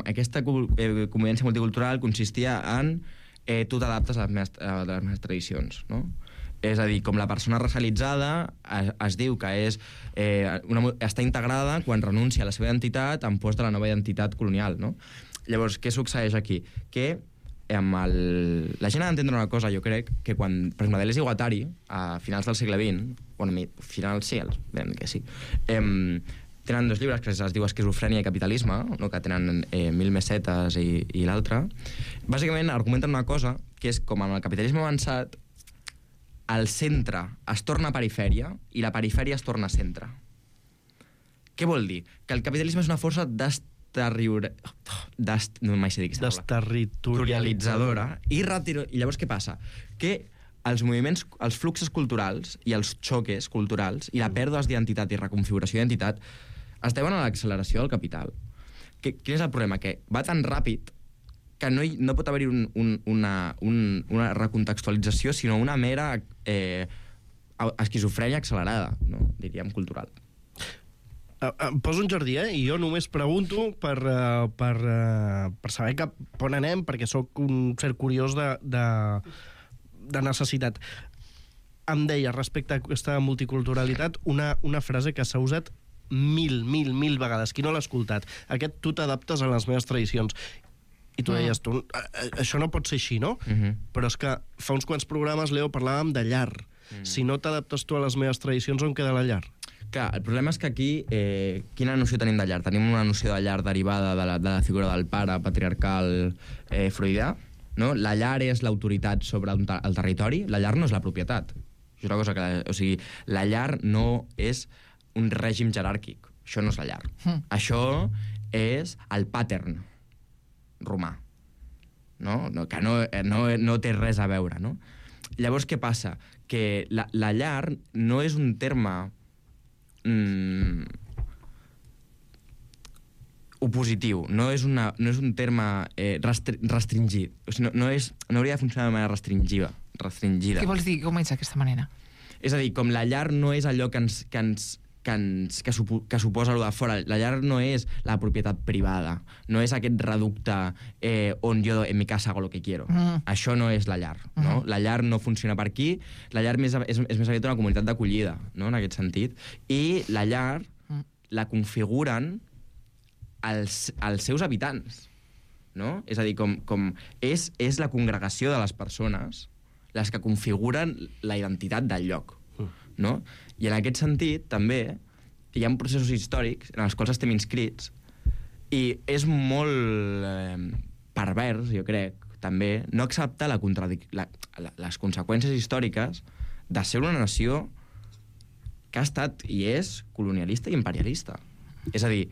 S6: aquesta convivència multicultural consistia en tu t'adaptes a les meves tradicions, no? És a dir, com la persona racialitzada es diu que està integrada quan renuncia a la seva identitat en pos de la nova identitat colonial, no? Llavors, què succeeix aquí? Que la gent ha d'entendre una cosa, jo crec, que quan, per exemple, Deleuze i Guattari, a finals del segle XX, Bueno, al final sí, que sí. Tenen 2 llibres que es diu Esquizofrènia i capitalisme, no? Que tenen 1000 mesetes i l'altre. Bàsicament argumenten una cosa, que és com amb el capitalisme avançat, el centre es torna perifèria i la perifèria es torna centre. Què vol dir? Que el capitalisme és una força desterritorialitzadora i llavors què passa? Que els moviments, els fluxos culturals i els xoques culturals i la pèrdua d'identitat i reconfiguració d'identitat es deuen a l'acceleració del capital. Quin és el problema? Que va tan ràpid que no pot haver-hi una recontextualització, sinó una mera esquizofrènia accelerada, no? Diríem, cultural.
S5: Em poso un jardí, i jo només pregunto per saber cap on anem, perquè sóc un cert curiós de necessitat. Em deia, respecte a aquesta multiculturalitat, una frase que s'ha usat mil vegades. Qui no l'ha escoltat? Aquest tu t'adaptes a les meves tradicions. I tu deies, això no pot ser així, no? Però és que fa uns quants programes, Leo, parlàvem de llar. Si no t'adaptes tu a les meves tradicions, on queda la llar?
S6: Clar, el problema és que aquí, quina noció tenim de llar? Tenim una noció de llar derivada de la figura del pare patriarcal freudià, no? La llar és l'autoritat sobre el territori, la llar no és la propietat. És una cosa que... O sigui, la llar no és un règim jeràrquic. Això no és la llar. Això és el pattern romà, no? Que no té res a veure, no? Llavors, què passa? Que la llar no és un terme opositiu, no és un terme restringit. O sigui, no hauria de funcionar de manera restringida.
S1: Què vols dir? Com és d'aquesta manera?
S6: És a dir, com la llar no és allò que suposa allò de fora. La llar no és la propietat privada, no és aquest reducte on jo en mi casa hago lo que quiero. Això no és la llar, no? La llar no funciona per aquí, la llar és més aviat una comunitat d'acollida, no? En aquest sentit. I la llar la configuren els seus habitants, no? És a dir, com és la congregació de les persones les que configuren la identitat del lloc, no? I en aquest sentit, també, hi ha processos històrics en els quals estem inscrits i és molt pervers, jo crec, també, no acceptar les conseqüències històriques de ser una nació que ha estat i és colonialista i imperialista. És a dir,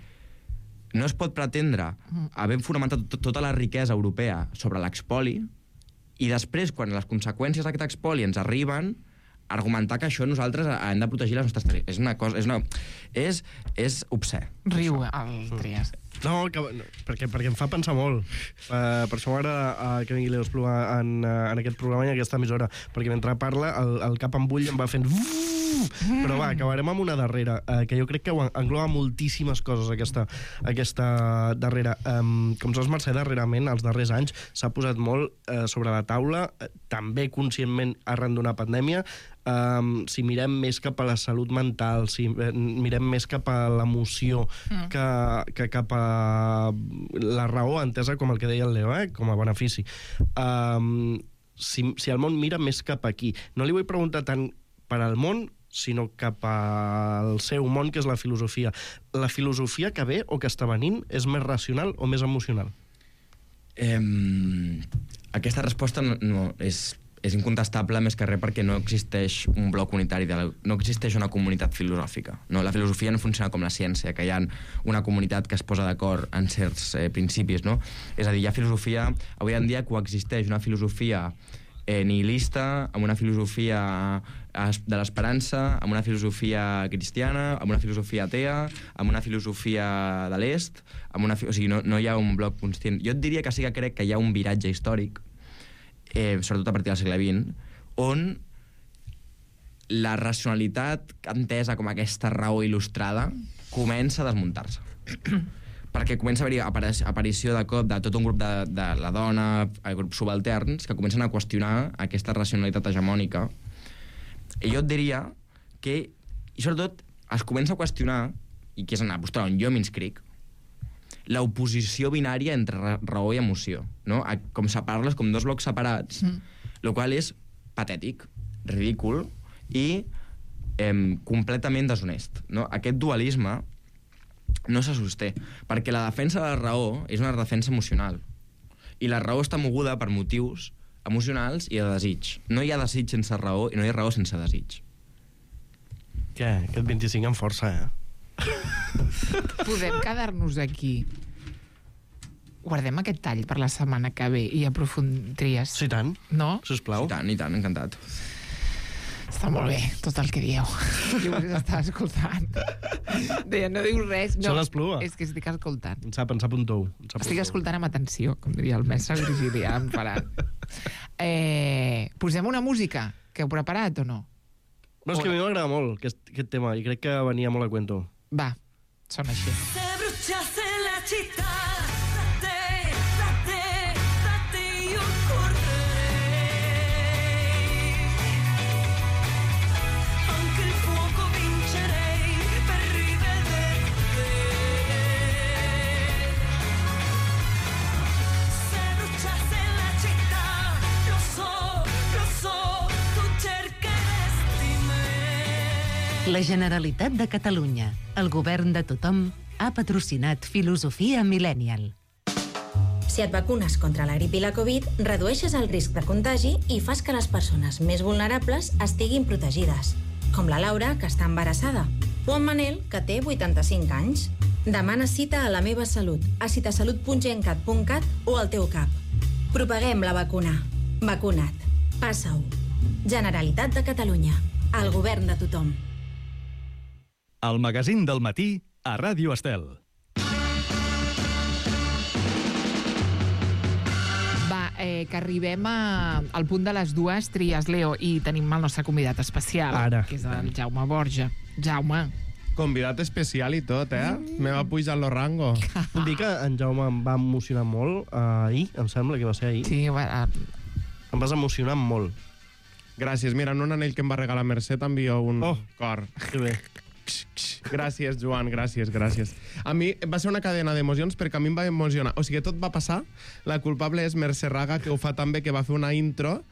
S6: no es pot pretendre haver fonamentat tota la riquesa europea sobre l'expoli i després, quan les conseqüències d'aquest expoli ens arriben, argumentar que això nosaltres hem de protegir les nostres territoris. És una cosa... És obscè.
S1: Riu el Trias.
S5: No, perquè em fa pensar molt. Per això m'agrada que vingui Leo Espluga en aquest programa i en aquesta emissora, perquè mentre parla el cap en bull em va fent... Però va, acabarem amb una darrera, que jo crec que engloba moltíssimes coses, aquesta darrera. Com saps, Mercè, darrerament, els darrers anys, s'ha posat molt sobre la taula, també conscientment arran d'una pandèmia, si mirem més cap a la salut mental, si mirem més cap a l'emoció que cap a la raó entesa com el que deia el Leo, com a benefici. Si el món mira més cap aquí, no li vull preguntar tant per al món, sinó cap al seu món, que és la filosofia. La filosofia que ve o que està venint és més racional o més emocional?
S6: Aquesta resposta no és incontestable, més que res perquè no existeix un bloc unitari, no existeix una comunitat filosòfica. No? La filosofia no funciona com la ciència, que hi ha una comunitat que es posa d'acord en certs principis. No? És a dir, hi ha filosofia... Avui en dia coexisteix una filosofia nihilista, amb una filosofia de l'esperança, amb una filosofia cristiana, amb una filosofia atea, amb una filosofia de l'est, o sigui, no hi ha un bloc constant. Jo et diria que sí que crec que hi ha un viratge històric, sobretot a partir del segle XX, on la racionalitat entesa com aquesta raó il·lustrada comença a desmuntar-se. Perquè comença a haver-hi aparició de cop de tot un grup de la dona, grups subalterns, que comencen a qüestionar aquesta racionalitat hegemònica. I jo et diria que, i sobretot, es comença a qüestionar, i que és una postura on jo m'inscric, l'oposició binària entre raó i emoció, no? Com separar-les com dos blocs separats, el qual és patètic, ridícul, i completament deshonest. No? Aquest dualisme no se sosté, perquè la defensa de la raó és una defensa emocional. I la raó està moguda per motius emocionals i de desig. No hi ha desig sense raó i no hi ha raó sense desig.
S5: Què? Aquest 25 amb força,
S1: Podem quedar-nos aquí. Guardem aquest tall per la setmana que ve i aprofundries.
S5: Sí, tant.
S1: No?
S5: Sisplau.
S6: I tant, encantat.
S1: Està molt bé, tot el que dieu. Jo us estava escoltant. Deia, no dius res. No,
S5: Són l'Espluga.
S1: és que estic escoltant.
S5: Ens sap un tou.
S1: Estic escoltant amb atenció, com diria el mestre Virgilià, em farà. Posem una música que heu preparat o no?
S5: No, és que a mi m'agrada molt aquest tema i crec que venia molt a cuento.
S1: Va, sona així.
S7: Se bruciasse la città, da te io correrei. Anche il fuoco vincerei per rivederti. Se bruciasse la città, lo so, tu cercheresti me.
S4: La Generalitat de Catalunya, el govern de tothom, ha patrocinat Filosofia Millennial.
S8: Si et vacunes contra la grip i la Covid, redueixes el risc de contagi i fas que les persones més vulnerables estiguin protegides, com la Laura, que està embarassada, o en Manel, que té 85 anys. Demana cita a La Meva Salut, a citasalut.gencat.cat o al teu CAP. Propaguem la vacuna. Vacuna't. Passa-ho. Generalitat de Catalunya. El govern de tothom.
S3: El magazín del matí a Ràdio Estel.
S1: Va, que arribem al punt de les dues, tries, Leo, i tenim el nostre convidat especial,
S5: Ara.
S1: que és el Jaume Borja. Jaume.
S9: Convidat especial i tot, Me va pujar lo rango.
S5: Vull dir que en Jaume em va emocionar molt ahir, em sembla que va ser ahir.
S1: Sí,
S5: Em vas emocionar molt.
S9: Gràcies. Mira, en un anell que em va regalar Mercè t'envio un cor.
S5: Que bé.
S9: Gràcies, Joan, gràcies. A mi va ser una cadena d'emocions perquè a mi em va emocionar. O sigui, tot va passar. La culpable és Mercè Raga, que ho fa tan bé, que va fer una intro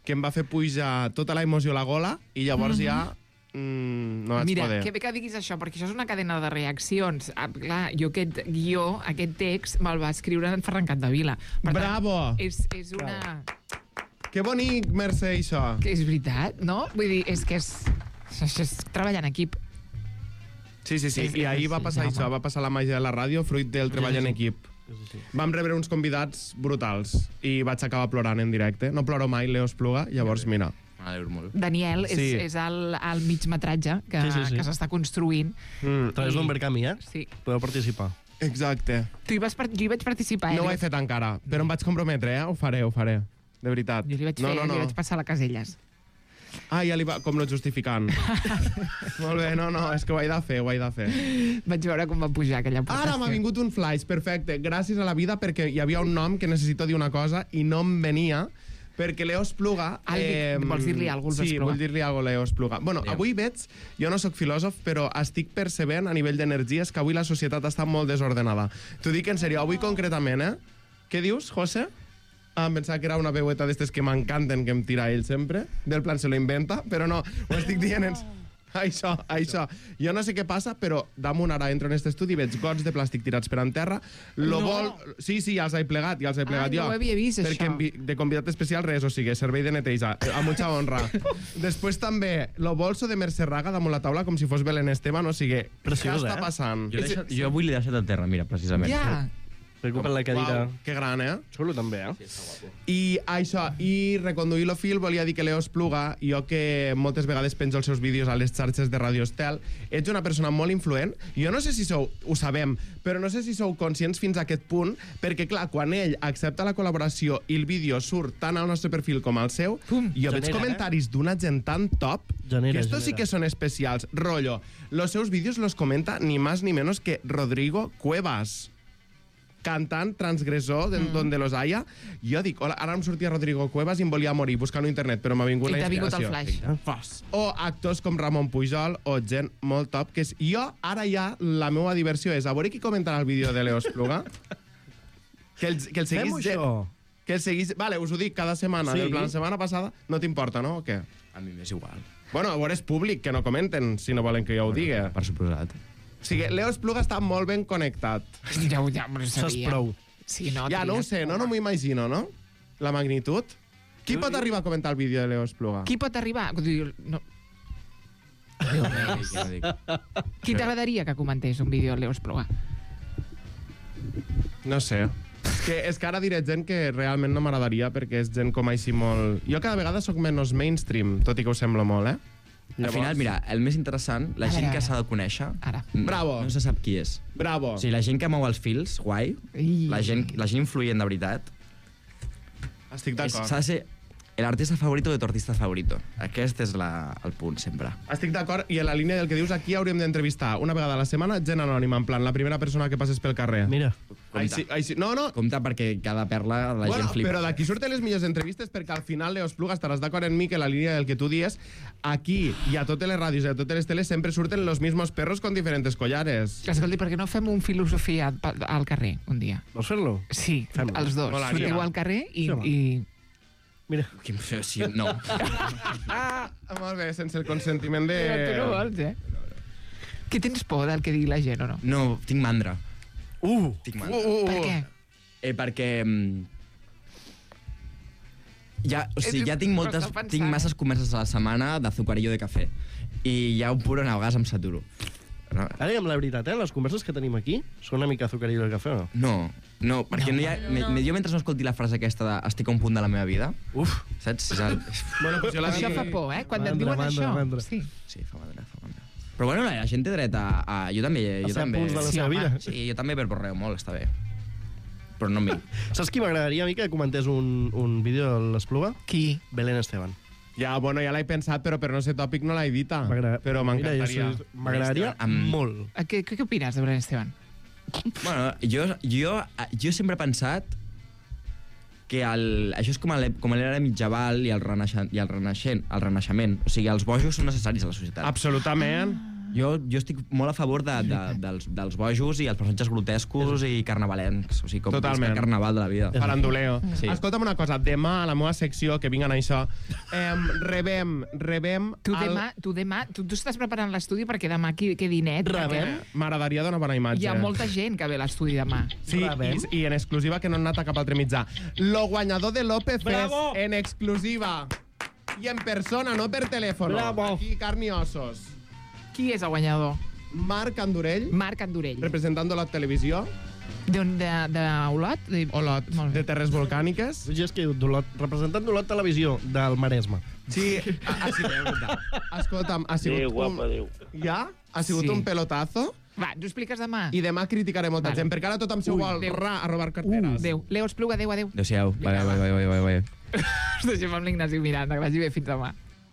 S9: que em va fer pujar tota la emoció a la gola i llavors ja no vaig
S1: Mira,
S9: poder.
S1: que bé que diguis això, perquè això és una cadena de reaccions. Clar, jo aquest guió, aquest text, me'l va escriure en Ferran Capdevila. Per
S9: Bravo!
S1: Tant, és una...
S9: Que bonic, Mercè, això.
S1: Que és veritat, no? Vull dir, és que és treballar en equip.
S9: Sí. I ahir va passar això, va passar la màgia de la ràdio, fruit del treball en equip. Vam rebre uns convidats brutals i vaig acabar plorant en directe. No ploro mai, Leo Espluga, llavors mira.
S6: M'alegro molt.
S1: Daniel
S9: Sí.
S1: és el migmetratge que s'està construint.
S5: A través d'un Verkami,
S1: Sí.
S5: Podeu participar.
S9: Exacte.
S1: Jo hi vaig participar.
S9: No ho he fet encara, però em vaig comprometre, Ho faré. De veritat.
S1: Jo li vaig fer, li vaig passar a la Caselles.
S9: Ah, ja li va... Com no justificant. Molt bé, no, és que ho he de fer.
S1: Vaig veure com va pujar aquella aportació.
S9: Ara m'ha vingut un flash, perfecte. Gràcies a la vida perquè hi havia un nom que necessito dir una cosa i no em venia perquè Leo Espluga...
S1: Vols dir-li alguna cosa,
S9: Sí, vull dir-li alguna cosa, Leo Espluga. Bueno, avui veig, jo no sóc filòsof, però estic percebent a nivell d'energies que avui la societat està molt desordenada. T'ho dic en sèrio, avui concretament, Què dius, José? Em pensava que era una veueta d'estes que m'encanten, que em tira ell sempre. Del plan se lo inventa, però no, ho estic dient en... Això. Jo no sé què passa, però damunt ara entro en aquest estudi i veig gots de plàstic tirats per en terra. Sí, ja els he plegat, jo.
S1: No ho havia vist,
S9: perquè
S1: això.
S9: de convidat especial res, o sigui, servei de neteja, a mucha honra. Després també, lo bolso de Mercè Raga damunt la taula com si fos Belén Esteban, o sigui,
S5: Preciós,
S9: què està passant?
S6: Jo avui l'he deixat a terra, mira, precisament.
S1: Ja.
S5: Recupera la cadira.
S9: Uau, que gran,
S5: Xulo, també,
S9: I això, i reconduir lo fil, volia dir que Leo Espluga, jo que moltes vegades penjo els seus vídeos a les xarxes de Radio Estel, ets una persona molt influent. Jo no sé si sou, ho sabem, però no sé si sou conscients fins a aquest punt, perquè clar, quan ell accepta la col·laboració i el vídeo surt tant al nostre perfil com al seu, jo veig comentaris d'una gent tan top, que estos sí que són especials. Rollo, los seus vídeos los comenta ni más ni menos que Rodrigo Cuevas, cantant transgressor donde los haya. Jo dic, hola, ara em sortia Rodrigo Cuevas i em volia morir buscant a internet, però m'ha vingut la inspiració.
S1: I t'ha vingut el flash.
S9: O actors com Ramon Pujol o gent molt top, que és... Jo, ara ja, la meva diversió és a veure qui comentarà el vídeo de Leo Espluga. que el seguís...
S5: Fem-ho, això.
S9: Que el seguís... Vale, us ho dic cada setmana.
S5: Sí.
S9: Del plan, la setmana passada no t'importa, no? O què?
S6: A mi m'és igual.
S9: Bueno, a veure, és públic, que no comenten, si no volen que jo ho digui.
S6: Per suposat.
S9: O sigui, Leo Espluga està molt ben connectat.
S1: Ja m'ho sabia.
S5: Saps prou.
S1: Sí, no,
S9: Ja, no ho sé, no m'ho imagino, no? La magnitud. Qui pot arribar a comentar el vídeo de Leo Espluga?
S1: Qui pot arribar? No.
S6: Ja dic.
S1: Qui t'agradaria que comentés un vídeo de Leo Espluga?
S9: No sé. És que ara diré gent que realment no m'agradaria perquè és gent com així molt... Jo cada vegada sóc menys mainstream, tot i que ho semblo molt, eh?
S6: Al final, mira, el més interessant, la gent que s'ha de conèixer...
S1: Ara.
S9: Bravo.
S6: No se sap qui és.
S9: Bravo.
S6: O sigui, la gent que mou els fils, guai. La gent influent de veritat.
S9: Estic d'acord.
S6: S'ha de ser l'artista favorito de tu artista favorito. Aquest és el punt, sempre.
S9: Estic d'acord, i en la línia del que dius, aquí hauríem d'entrevistar una vegada a la setmana gent anònima, en plan, la primera persona que passes pel carrer.
S5: Mira.
S9: Així, no.
S6: Compte perquè cada perla la gent flipa.
S9: Però d'aquí surten les millors entrevistes perquè al final, Leo Espluga, estaràs d'acord amb mi que la línia del que tu dies, aquí i a totes les ràdios i a totes les teles sempre surten los mismos perros con diferentes collares.
S1: Escolti, per què no fem un filosofia al carrer un dia?
S5: Vols fer-lo?
S1: Sí,
S5: Fem-lo.
S1: els dos.
S9: Molaria.
S1: Sortiu al carrer i...
S5: Mira.
S6: Sí, no.
S9: Molt bé, sense el consentiment de...
S1: Però tu no vols, eh? Que tens por del que digui la gent, o no?
S6: No, tinc mandra. Tinc mandra.
S1: Per què?
S6: Perquè... ja tinc
S1: M'està pensant.
S6: tinc masses converses a la setmana d'azucarillo de cafè. I hi ha un punt on a vegades em saturo. No,
S5: Ara diguem la veritat, les converses que tenim aquí són una mica azucarillo del cafè, o no?
S6: no, perquè no hi ha, jo mentre no escolti la frase aquesta de estic a un punt de la meva vida, saps?
S9: Bueno, pues jo la
S1: Això
S9: dic...
S1: fa por, eh? Quan et
S5: Mandra,
S1: diuen
S5: mandra,
S1: això.
S5: mandra.
S1: Sí.
S6: Sí, fa mandra. Però bueno, la gent té dret a... Jo també.
S5: A ser punts de la seva vida.
S6: Sí, jo també perborreo molt, està bé. Però no a mi.
S5: Saps qui m'agradaria a mi que comentés un vídeo de l'Espluga?
S1: Qui?
S5: Belén Esteban.
S9: Ja, bueno, ja l'he pensat, però per no ser tòpic no l'he dita. Però m'encantaria.
S5: M'agradaria molt.
S1: Què opines de Belén Esteban?
S6: Bueno, jo sempre he pensat que això és com l'era mitjaval i el renaixement. O sigui, els bojos són necessaris a la societat.
S9: Absolutament.
S6: Jo estic molt a favor dels bojos i els personatges grotescos i carnavalencs. O sigui, com
S9: Totalment.
S6: el carnaval de la vida.
S9: Faranduleo.
S6: Sí.
S9: Escolta'm una cosa, demà a la meva secció, que vinguen a això, rebem...
S1: Tu estàs preparant l'estudi perquè demà quedi net.
S5: Rebem?
S9: M'agradaria donar bona imatge.
S1: Hi ha molta gent que ve a l'estudi demà.
S9: Sí, i en exclusiva que no han anat a cap altre mitjà. Lo guanyador de López
S5: Bravo!
S9: Fest en exclusiva. I en persona, no per telèfon.
S5: Bravo!
S9: Aquí, carn i ossos.
S1: Qui és el guanyador?
S9: Marc Andurell,
S1: Marc Andurell.
S9: representant de la televisió,
S1: D'Olot?
S9: Olot,
S1: Molt bé.
S9: de Terres Volcàniques.
S5: Jo és que representant d'Olot Televisió del Maresme.
S9: Sí, ha sigut... Escolta'm, ha sigut Ja? Ha sigut
S1: Sí.
S9: un pelotazo.
S1: Va, ens ho expliques demà.
S9: I demà criticaré molta gent, perquè ara tothom s'ho vol
S1: Déu.
S9: a robar carteres.
S1: Adéu. Leo Espluga, adéu.
S6: Adéu-siau. Bye.
S1: Us deixem amb l'Ignasi Miranda, que vagi bé fins demà.